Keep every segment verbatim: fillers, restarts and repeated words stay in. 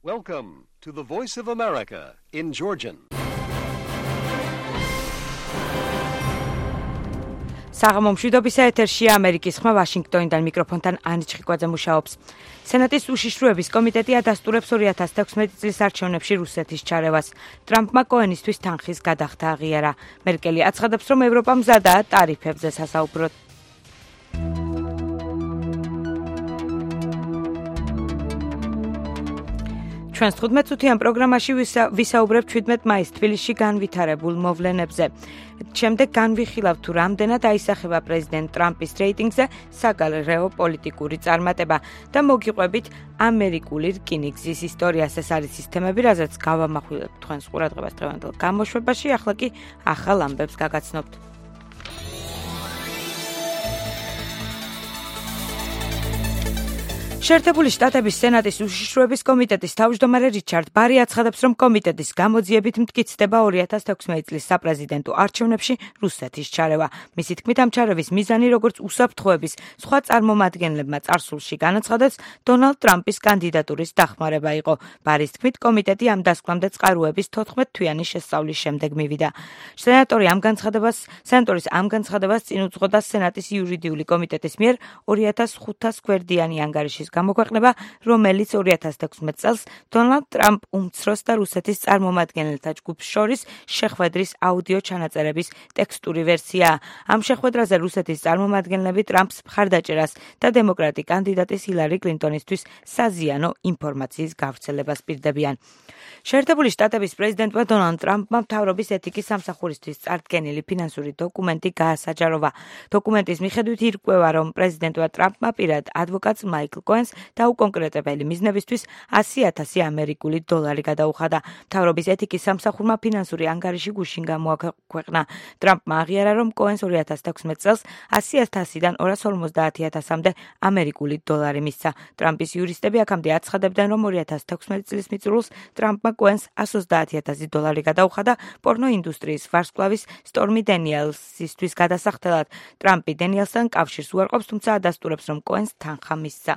Welcome to the Voice of America in Georgian. საღამო მშვიდობისა ეთერშია ამერიკის ხმა ვაშინგტონიდან მიკროფონთან ანი ჩხიკვაძე მუშაობს. სენატის უშიშროების კომიტეტი ადასტურებს ორი ათას თექვსმეტი წლის არჩევნებში რუსეთის ჩარევას. ტრამპმა კოენისთვის თანხის გადახდა აღიარა. მერკელი აცხადებს, რომ ევროპა მზადაა ტარიფებზე სასაუბროდ. ჩვენს თხუთმეტ-წუთიან პროგრამაში ვისაუბრებთ შვიდმეტ მაისს თბილისში განვითარებულ მოვლენებზე. შემდეგ განვიხილავთ თუ რამდენად აისახება პრეზიდენტ ტრამპის რეიტინგზე საგარეო პოლიტიკური წარმატება და მოგიყვებით ამერიკული რკინიგზის ისტორიას. ეს არის ის თემები, რაზეც გავამახვილებთ თქვენს ყურადღებას დღევანდელ გამოშვებაში. ახლა კი ახალ ამბებს გაგაცნობთ. შეერთებული შტატების სენატის უშიშროების კომიტეტის თავმჯდომარე რიჩარდ ბარი აცხადებს, რომ კომიტეტის გამოძიებით მტკიცდება ორი ათას თექვსმეტი წლის საპრეზიდენტო არჩევნებში რუსეთის ჩარევა. მისი თქმით, ამ ჩარევის მიზანი, როგორც უსაფრთხოების სხვა წარმომადგენლებმა წარსულში განაცხადეს, დონალდ ტრამპის კანდიდატურის დახმარება იყო. ბარის თქმით, კომიტეტი ამ დასკვნამდე წყაროების თოთხმეტ თვიანი შესწავლის შემდეგ მივიდა. სენატორი ამ განცხადებას, სენატორის ამ განცხადებას წინ უძღოდა სენატის იურიდიული კომიტეტის მიერ ორი ათას ხუთას გვერდიანი ანგარიშის გამოქვეყნება, რომელიც ორი ათას თექვსმეტ წელს დონალდ ტრამპ უმცროს და რუსეთის წარმომადგენელთა ჯგუფს შორის შეხვედრის აუდიო ჩანაწერების ტექსტური ვერსიაა. ამ შეხვედრაზე რუსეთის წარმომადგენლები ტრამპს მხარდაჭერას და დემოკრატი კანდიდატის ჰილარი კლინტონისთვის საზიანო ინფორმაციის გავრცელებას პირდებიან. შეერთებული შტატების პრეზიდენტმა დონალდ ტრამპმა მთავრობის ეთიკის სამსახურისთვის წარდგენილი ფინანსური დოკუმენტი გაასაჯაროვა. დოკუმენტის მიხედვით ირკვევა, რომ პრეზიდენტმა ტრამპმა პირად ადვოკატს მაიკლ კოენს დაუკონკრეტებელი მიზნებისთვის ასი ათასი ამერიკული დოლარი გადაუხადა. მთავრობის ეთიკის სამსახურმა ფინანსური ანგარიში გუშინ გამოაქვეყნა. ტრამპმა აღიარა, რომ კოენს ორი ათას თექვსმეტ წელს ასი ათასიდან ორას ორმოცდაათი ათასამდე ამერიკული დოლარი მისცა. ტრამპის იურისტები აქამდე აცხადებდნენ, რომ ორი ათას თექვსმეტი წლის მიწურულს ტრამპმა კოენს ასი ოცდაათი ათასი დოლარი გადაუხადა პორნო ინდუსტრიის ვარსკვლავის სტორმი დენიელსისთვის გადასახდელად. ტრამპი დენიელსთან კავშირს უარყოფს, თუმცა ადასტურებს, რომ კოენს თანხა მისცა.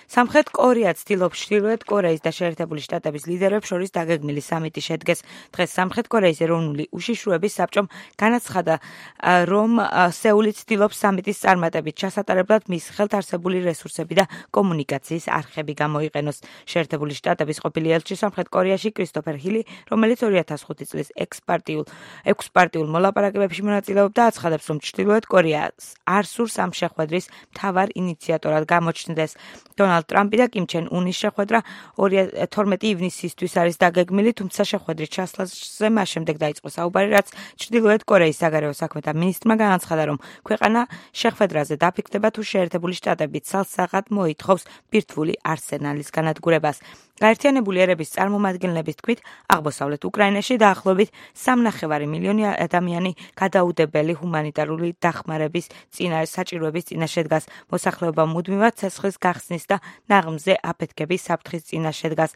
სამხრეთ კორეა ცდილობს ჩრდილოეთ კორეის და შეერთებული შტატების ლიდერებს შორის დაგეგმილი სამიტი შედგეს. დღეს სამხრეთ კორეის ეროვნული უშიშროების საბჭომ განაცხადა, რომ სეული ცდილობს სამიტის წარმატებით ჩასატარებლად მის ხელთ არსებული რესურსები და კომუნიკაციის არხები გამოიყენოს. შეერთებული შტატების ყოფილი ელჩი სამხრეთ კორეაში კრისტოფერ ჰილი, რომელიც ორი ათას ხუთი წლის ექსპარტიულ ექვსპარტიულ მოლაპარაკებებში მონაწილეობდა, აცხადებს, რომ ჩრდილოეთ კორეას არ სურს ამ შეხვედრის მთავარ ინიციატორად გამოჩნდეს. დონალდ ტრამპი და კიმ ჩენ უნის შეხვედრა თორმეტი ივნისისთვის არის დაგეგმილი, თუმცა შეხვედრის ჩასვლაზე მას შემდეგ დაიწყო საუბარი, რაც ჩრდილოეთ კორეის საგარეო საქმეთა მინისტრმა განაცხადა, რომ ქვეყანა შეხვედრაზე დაფიქრდება თუ შეერთებული შტატები ცალსაღად მოითხოვს ბირთვული არსენალის განადგურებას. გაერთიანებული ერების წარმომადგენლების თქმით, აღმოსავლეთ უკრაინაში დაახლოებით სამნახევარი მილიონი ადამიანი გადაუდებელი ჰუმანიტარული დახმარების წინა საჭიროების წინაშე დგას. მოსახლეობა მუდმივად ცეცხლის გახსნის და ნაღმზე აფეთქების საფრთხის წინაშე დგას,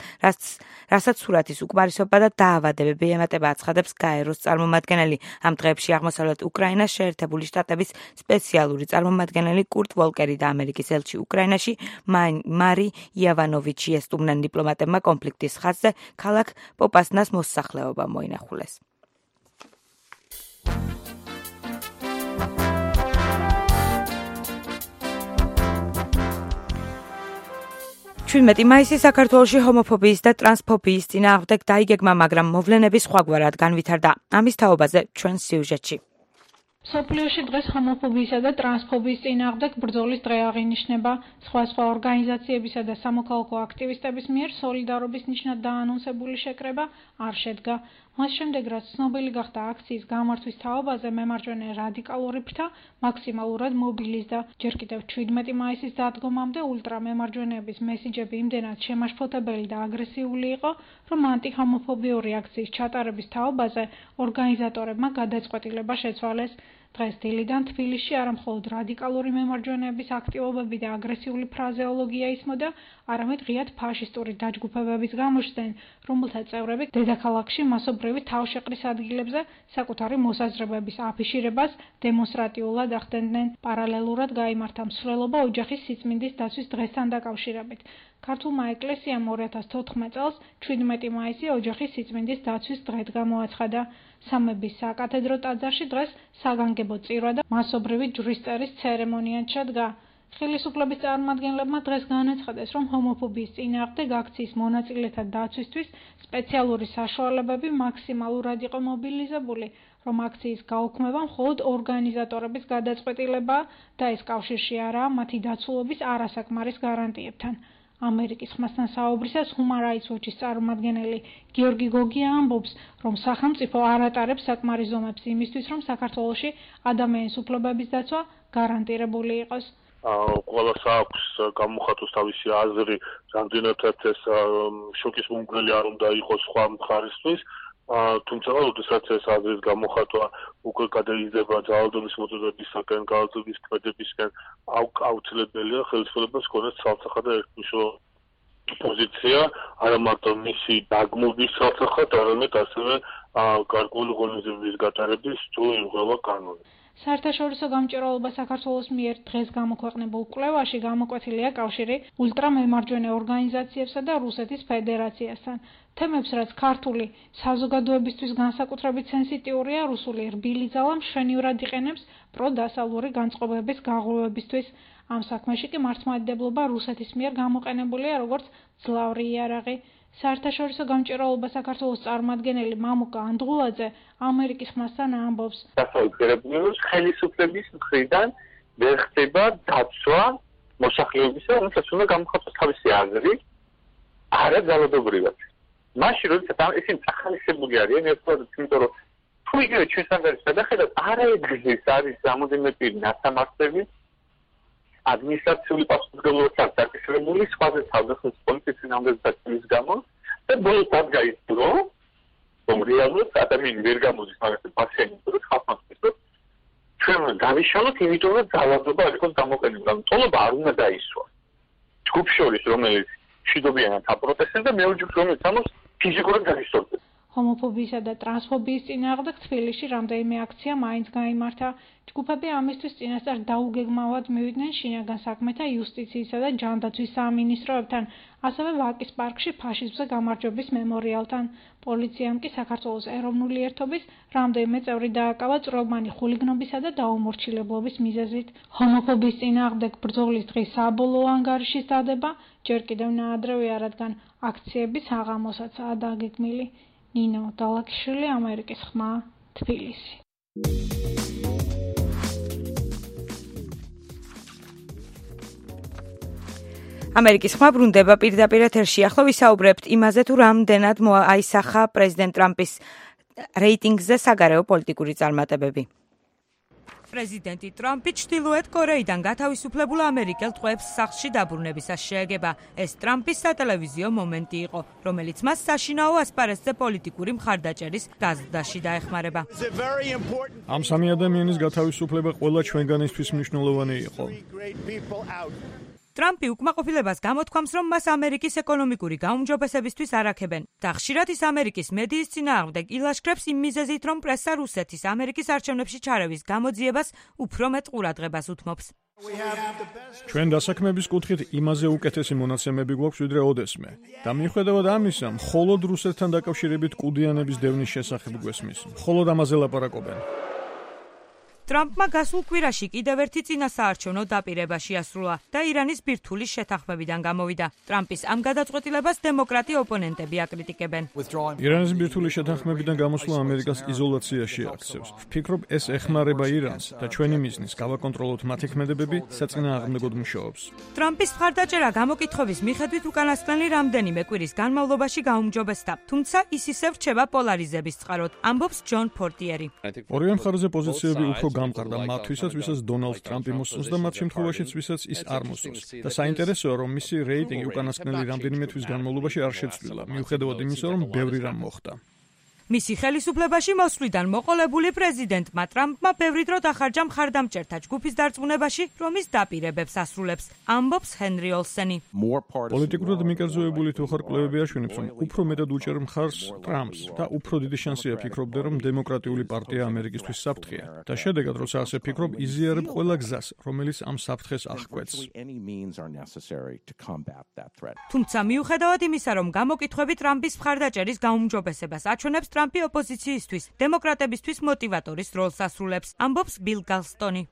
რასაც სურათის უკმარისობა და დაავადებები ემატება, აცხადებს გაეროს წარმომადგენელი. ამ დღეებში აღმოსავლეთ უკრაინას შეერთებული შტატების სპეციალური წარმომადგენელი კურტ ვოლკერი და ამერიკის ელჩი უკრაინაში მარი იავანოვიჩი ესტუმრნენ დიპლომატებმა კონფლიქტის ხაზზე ქალაქ პოპასნას მოსახლეობა მოინახულეს. შვიდმეტი მაისი საქართველოში ჰომოფობიის და ტრანსფობიის წინააღმდეგ დაიგეგმა, მაგრამ მოვლენები სხვაგვარად განვითარდა. ამის თაობაზე ჩვენ სიუჟეტში. მსოფლიოში დღეს ჰომოფობიისა და ტრანსფობიის წინააღმდეგ ბრძოლის დღე აღინიშნება. სხვადასხვა ორგანიზაციებისა და სამოქალაქო აქტივისტების მიერ სოლიდარობის ნიშნად დაანონსებული შეკრება არ შედგა. მას შემდეგ, რაც ცნობილი გახდა აქციის გამართვის თაობაზე, მემარჯვენე რადიკალური ფრთა მაქსიმალურად მობილიზდა. ჯერ კიდევ შვიდმეტი მაისის დადგომამდე ულტრამემარჯვენეების მესიჯები იმდენად შემაშფოთებელი და აგრესიული იყო, რომ ანტიჰომოფობიური აქციის ჩატარების თაობაზე ორგანიზატორებმა გადაწყვეტილება შეცვალეს. დღეს დილიდან თბილისში არა მხოლოდ რადიკალური მემარჯვენეების აქტივობები და აგრესიული ფრაზეოლოგია ისმოდა, არამედ ღიად ფაშისტური დაჯგუფებების გამოჩნდნენ, რომელთა წევრები დედაქალაქში მასობრივი თავშეყრის ადგილებზე საკუთარი მოსაზრებების აფიშირებას დემონსტრატიულად ახდენდნენ. პარალელურად გაიმართა მსვლელობა ოჯახის სიწმინდის დაცვის დღესთან დაკავშირებით. ქართულმა ეკლესიამ ორი ათას თოთხმეტ წელს შვიდმეტი მაისი ოჯახის სიწმინდის დაცვის დღედ გამოაცხადა. სამების საკათედრო ტაძარში დღეს საგანგებო წირვა და მასობრივი ჯვრის წერის ცერემონია ჩადგა. ხელისუფლების წარმომადგენლებმა დღეს განაცხადეს, რომ ჰომოფობიის წინააღმდეგ აქციის მონაწილეთა დაცვისთვის სპეციალური საშუალებები მაქსიმალურად იყო მობილიზებული, რომ აქციის გაუქმება მხოლოდ ორგანიზატორების გადაწყვეტილებაა და ეს კავშირში არაა მათი დაცულობის არასაკმარის გარანტიებთან. ამერიკის ხმასთან საუბრისას Human Rights Watch-ის წარმომადგენელი გიორგი გოგია ამბობს, რომ სახელმწიფო არ ატარებს საკმარის ზომებს იმისთვის, რომ საქართველოში ადამიანის უფლებების დაცვა გარანტირებული იყოს. ყველას აქვს გამოხატოს თავისი აზრი, რამდენადაც ეს შოკის მომგვრელი არ უნდა იყოს სხვა მხარისთვის, თუმცა როდესაც ეს აზრის გამოხატვა უკვე გადაიზრდება ძალადობის მოწოდებისაგან, განათლების ქმედებისგან, აუცილებელია ხელისუფლებას ჰქონდეს ცალსახა და ერთმნიშვნელოვანი პოზიცია, არა მარტო მისი დაგმობის ცალსახად, არამედ ასევე გარკვეული ღონისძიებების გატარების თუ იმღვრევა კანონი. საერთაშორისო გამჭვირვალობა საქართველოს მიერ დღეს გამოქვეყნებულ კვლევაში გამოკვეთილია კავშირი ულტრამემარჯვენე ორგანიზაციებსა და რუსეთის ფედერაციასთან. თემებს, რაც ქართული საზოგადოებისთვის განსაკუთრებით სენსიტიურია, რუსული რბილი ძალა მშვენივრად იყენებს პროდასავლური განწყობების გაღვივებისთვის. ამ საქმეში კი მართლმადიდებლობა რუსეთის მიერ გამოყენებულია როგორც მძლავრი იარაღი. საერთაშორისო გამჭვირვალობა საქართველოს წარმომადგენელი მამუკა ანდღულაძე ამერიკის ხმასთან ამბობს. დასავლეთის ხელისუფლების მხრიდან ვერ ხდება დაცვა მოსახლეობისა, რომელსაც უნდა გამოხატოს თავისი აზრი, არა ძალადობრივად. მაშინ, როდესაც ისინი ახალისებული არიან, ერთგვარად, იმიტომ რომ თუ იგივე ჩვენს ანგარიშს გადახედავთ, არაერთგზის არის რამოდენიმე პირი ნასამართლები, ადმინისტრაციული პასუხისმგებლობაც დაკისრებული სხვაზე თავდაცვის პოლიციის წინააღმდეგ დაცვის გამო და ბოლოს დადგაისდრო, რომ რეალურად ადამიანი ვერ გამოდის მაგას პაციენტს და ხალხს რომ ჩვენ გავიშალოთ, იმიტომ რომ ძალადობა არ იყოს გამოყენებული. ტოლობა არ უნდა დაისვა. ჯგუფ შორის, რომელიც მშვიდობიანად აპროტესტებს და მეორე ჯგუფს, რომელიც ამას ფიზიკურად გაგისწორებს. ჰომოფობიისა და ტრანსფობიის წინააღმდეგ თბილისში რამდენიმე აქცია მაინც გაიმართა. ჯგუფები ამისთვის წინასწარ დაუგეგმავად მივიდნენ შინაგან საქმეთა, იუსტიციისა და ჯანდაცვის სამინისტროებთან, ასევე ვაკის პარკში ფაშიზმზე გამარჯვების მემორიალთან. პოლიციამ კი საქართველოს ეროვნული ერთობის რამდენიმე წევრი დააკავა წვრილმანი ხულიგნობისა და დაუმორჩილებლობის მიზეზით. ჰომოფობიის წინააღმდეგ ბრძოლის დღის საბოლოო ანგარიშის დადება ჯერ კიდევ ნაადრევია, რადგან აქციები საღამოსაცაა დაგეგმილი. ნინო დალაკიშვილი, ამერიკის ხმა, თბილისი. ამერიკის ხმა ბრუნდება პირდაპირ ეთერში. ახლა ვისაუბრებთ იმაზე, თუ რამდენად აისახა პრეზიდენტ ტრამპის რეიტინგზე საგარეო პოლიტიკური წარმატებები. პრეზიდენტი ტრამპი ჩრდილოეთ კორეიდან გათავისუფლებულ ამერიკელ ტყვეებს სახლში დაბრუნებისას შეეგება. ეს ტრამპის სატელევიზიო მომენტი იყო, რომელიც მას საშინაო ასპარეზზე პოლიტიკური მხარდაჭერის გაზრდაში დაეხმარება. ამ სამი ადამიანის გათავისუფლება ყველა ჩვენგანისთვის მნიშვნელოვანი იყო. ტრამპი უკმაყოფილებას გამოთქვამს, რომ მას ამერიკის ეკონომიკური გაუმჯობესებისთვის არაქებენ და ხშირად ის ამერიკის მედიის წინააღმდეგ ილაშქრებს იმ მიზეზით, რომ პრესა რუსეთის ამერიკის არჩევნებში ჩარევის გამოძიებას უფრო მეტ ყურადღებას უთმობს. ჩვენ დასაქმების კუთხით იმაზე უკეთესი მონაცემები გვაქვს ვიდრე ოდესმე და მიუხედავად ამისა, მხოლოდ რუსეთთან დაკავშირებით კუდიანების დევნის შესახებ გვესმის. მხოლოდ ამაზე ლაპარაკობენ. ტრამპმა გასულ კვირაში კიდევ ერთი წინასაარჩევნო დაპირება შეასრულა და ირანის ბირთვული შეთანხმებიდან გამოვიდა. ტრამპის ამ გადაწყვეტილებას დემოკრატი ოპონენტები აკრიტიკებენ. ირანის ბირთვული შეთანხმებიდან გამოსვლა ამერიკას იზოლაციაში აქცევს. ვფიქრობ, ეს ეხმარება ირანს და ჩვენი მიზნის გავაკონტროლოთ მათი ქმედებები საწინააღმდეგოდ მუშაობს. ტრამპის მხარდაჭერა გამოკითხვების მიხედვით უკანასკნელი რამდენიმე კვირის განმავლობაში გაუმჯობესდა, თუმცა ის ისევ რჩება პოლარიზების წყაროდ, ამბობს ჯონ პორტიერი. ორივე მხარეზე პოზიციები უფრო გამყარდა მათთვისაც, ვისაც დონალდ ტრამპი მოსწონს და მათ შემთხვევაშიც, ვისაც ის არ მოსწონს. და საინტერესოა, რომ მისი რეიტინგი უკანასკნელი რამდენიმე თვის განმავლობაში არ შეცვლილა, მიუხედავად იმისა, რომ ბევრი რამ მოხდა. მისი ხელისუფლებაში მოსვლიდან მოყოლებული პრეზიდენტმა ტრამპმა ბევრი დრო დახარჯა მხარდამჭერთა ჯგუფის დარწმუნებაში, რომ ის დაპირებებს ასრულებს, ამბობს ჰენრი ოლსენი. პოლიტიკურად მიკერძოებული თუ ხარ კვლევები აშენებს, რომ უფრო მეტად უჭერ მხარს ტრამპს და უფრო დიდი შანსია ფიქრობდა, რომ დემოკრატიული პარტია ამერიკისთვის საფრთხეა. და შედეგად, როცა ასე ფიქრობ, იზიარებ ყველა გზას, რომელიც ამ საფრთხეს აღკვეთს. თუმცა მიუხედავად იმისა, რომ გამოკითხვები ტრამპის მხარდაჭერის გაუმჯობესებას აჩვენებს, ტრამპი ოპოზიციისთვის, დემოკრატებისთვის მოტივატორის როლს ასრულებს, ამბობს ბილ გალსტონი.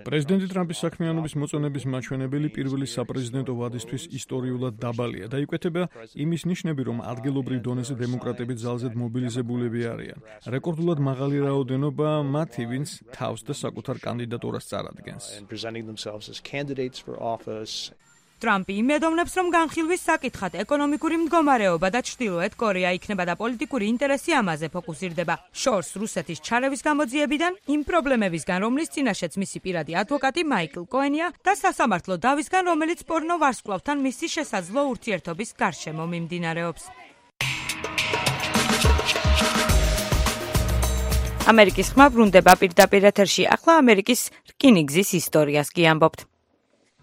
პრეზიდენტი ტრამპის საქმიანობის მოწონების მაჩვენებელი პირველი საპრეზიდენტო ვადისთვის ისტორიულად დაბალია და იკვეთება იმის ნიშნები, რომ ადგილობრივ დონეზე დემოკრატები ძალზედ მობილიზებულები არიან. რეკორდულად მაღალი რაოდენობა მათი, ვინც თავს და საკუთარ კანდიდატურას წარადგენს. ტრამპი იმედოვნებს, რომ განხილვის საკითხად ეკონომიკური მდგომარეობა და ჩრდილოეთ კორეა იქნება და პოლიტიკური ინტერესი ამაზე ფოკუსირდება. შორს რუსეთის ჩარევის გამოძიებიდან, იმ პრობლემებისგან, რომლის წინაშეც მისი პირადი ადვოკატი მაიკლ კოენია და სასამართლო დავისგან, რომელიც პორნო ვარსკვლავთან მისი შესაძლო ურთიერთობის გარშემო მიმდინარეობს. ამერიკის ხმა ბრუნდება პირდაპირ ეთერში. ახლა ამერიკის რკინიგზის ისტორიას კი ამბობთ.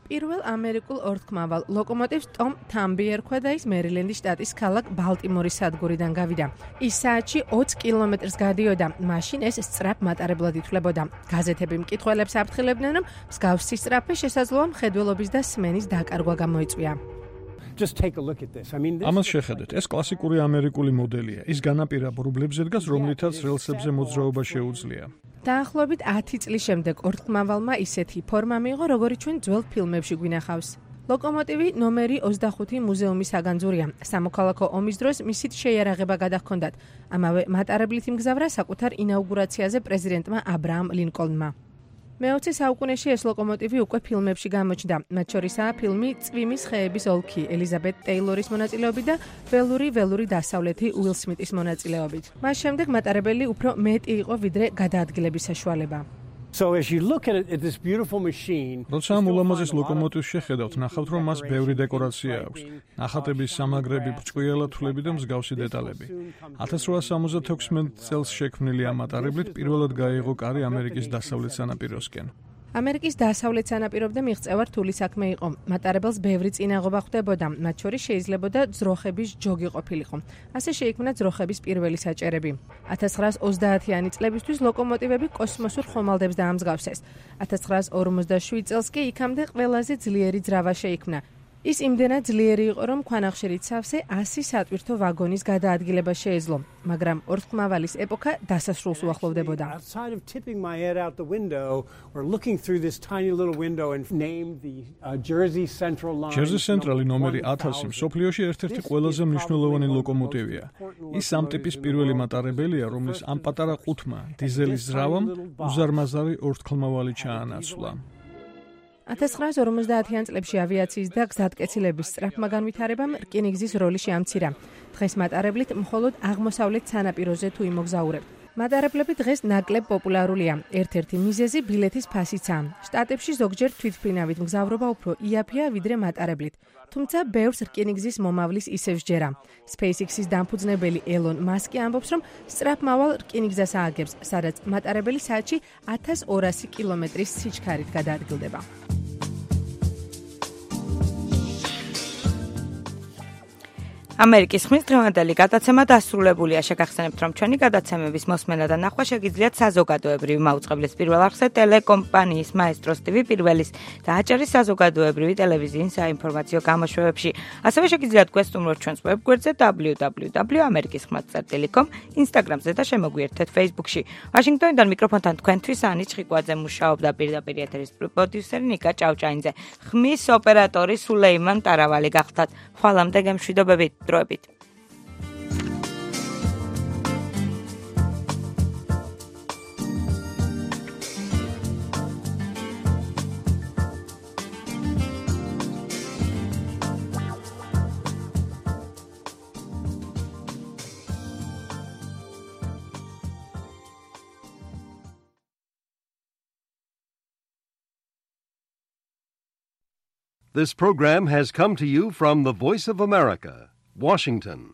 პირველ ამერიკულ ორთქმავალ ლოკომოტივს ტომ თამბი ერქვა და ის მერილენდის შტატის ქალაქ ბალტიმორის სადგურიდან გავიდა. ის საათში ოცი კილომეტრს გადიოდა, მაშინ ეს სწრაფ მატარებლად ითვლებოდა. გაზეთები მკითხველებს აფრთხილებდნენ, რომ მსგავსი სწრაფი შესაძლოა მხედველობის და სმენის დაკარგვა გამოიწვია. ამას შეხედეთ, ეს კლასიკური ამერიკული მოდელია. ის განაპირა ბრუბლებზე დგას, რომლითაც რელსებზე მოძრაობა შეუძლია. დაახლოებით ათი წლის შემდეგ ორთქმავალმა ისეთი ფორმა მიიღო, როგორიც ჩვენ ძველ ფილმებში გვინახავს. ლოკომოტივი ნომერი ოცდახუთი მუზეუმის საგანძურია. სამოქალაქო ომის დროს მისით შეიარაღება გადაჰქონდათ. ამავე მატარებლით იმგზავრა საკუთარ ინაუგურაციაზე პრეზიდენტმა აბრაამ ლინკოლნმა. მეოცე საუკუნეში ეს ლოკომოტივი უკვე ფილმებში გამოჩნდა. მათ შორისაა ფილმი წვიმის ხეების ოლქი ელიზაბეთ ტეილორის მონაწილეობით და ველური ველური დასავლეთი უილ სმიტის მონაწილეობით. მას შემდეგ მატარებელი უფრო მეტი იყო ვიდრე გადაადგილების საშუალება. როცა ამ ულამაზეს ლოკომოტივს შეხედავთ, ნახავთ, რომ მას ბევრი დეკორაცია აქვს. ნახატების სამაგრები, ბრჭყვიალა თვლები და მსგავსი დეტალები. ათას რვაასა სამოცდათექვსმეტ წელს შექმნილი ამ მატარებლით პირველად გაიღო კარი ამერიკის დასავლეთ სანაპიროსკენ. ამერიკის დასავლეთ სანაპირომდე მიღწევა რთული საქმე იყო. მატარებელს ბევრი წინაღობა ხვდებოდა, მათ შორის შეიძლებოდა ძროხების ჯოგი ყოფილიყო. ასე შეიქმნა ძროხების პირველი საჭერები. ათას ცხრაას ოცდაათიანი წლებისთვის ლოკომოტივები კოსმოსურ ხომალდებს დაამსგავსეს. ათას ცხრაას ორმოცდაშვიდ წელს კი იქამდე ყველაზე ძლიერი ძრავა შეიქმნა. ის იმდენად ძლიერი იყო, რომ ქვანახშირით სავსე ასი სატვირთო ვაგონის გადაადგილება შეეძლო, მაგრამ ორთქმავალის ეპოქა დასასრულს უახლოვდებოდა. ჯერზი ცენტრალი ნომერი ათასი მსოფლიოში ერთ-ერთი ყველაზე მნიშვნელოვანი ლოკომოტივია. ის ამ ტიპის პირველი მატარებელია, რომლის ამ პატარა ყუთმა დიზელის ძრავამ უზარმაზარი ორთქმავალი ჩაანაცვლა. ათას ცხრაას ორმოცდაათიან წლებში ავიაციის და გზატკეცილების სწრაფმა განვითარებამ რკინიგზის როლი შეამცირა. დღეს მატარებლით მხოლოდ აღმოსავლეთ სანაპიროზე თუ იმოგზაურებთ. მატარებლები დღეს ნაკლებ პოპულარულია. ერთ-ერთი მიზეზი ბილეთის ფასიცაა. შტატებში ზოგჯერ თვითმფრინავით მგზავრობა უფრო იაფია ვიდრე მატარებლით. თუმცა ბევრს რკინიგზის მომავლის ისევ სჯერა. SpaceX-ის დამფუძნებელი ელონ მასკი ამბობს, რომ სწრაფმავალ რკინიგზას ააგებს, სადაც მატარებელი საათში ათას ორასი კილომეტრის სიჩქარით გადაადგილდება. ამერიკის ხმის დღევანდელი გადაცემა დასრულებულია. შეგახსენებთ, რომ ჩვენი გადაცემების მოსმენა და ნახვა შეგიძლიათ საზოგადოებრივი მაუწყებლის პირველ არხზე ტელეკომპანიის Maestros ტი ვი პირველის და აჭარის საზოგადოებრივი ტელევიზიის საინფორმაციო გამოშვებებში. ასევე შეგიძლიათ გვესტუმროთ ჩვენს ვებგვერდზე დაბლიუ დაბლიუ დაბლიუ წერტილი ამერიკის ხმა წერტილი კომ, Instagram-ზე და შემოგვიერთეთ Facebook-ში. ვაშინგტონიდან მიკროფონთან თქვენთვის ანი ჩხიკვაძე მუშაობდა, პირდაპირ ეთერის პროდიუსერი ნიკა ჭავჭაინძე. ხმის ოპერატორი სულეიმან ტარავალი გახდათ. ხვალამდე გემშვიდობებით. დროებით. This program has come to you from the Voice of America, Washington.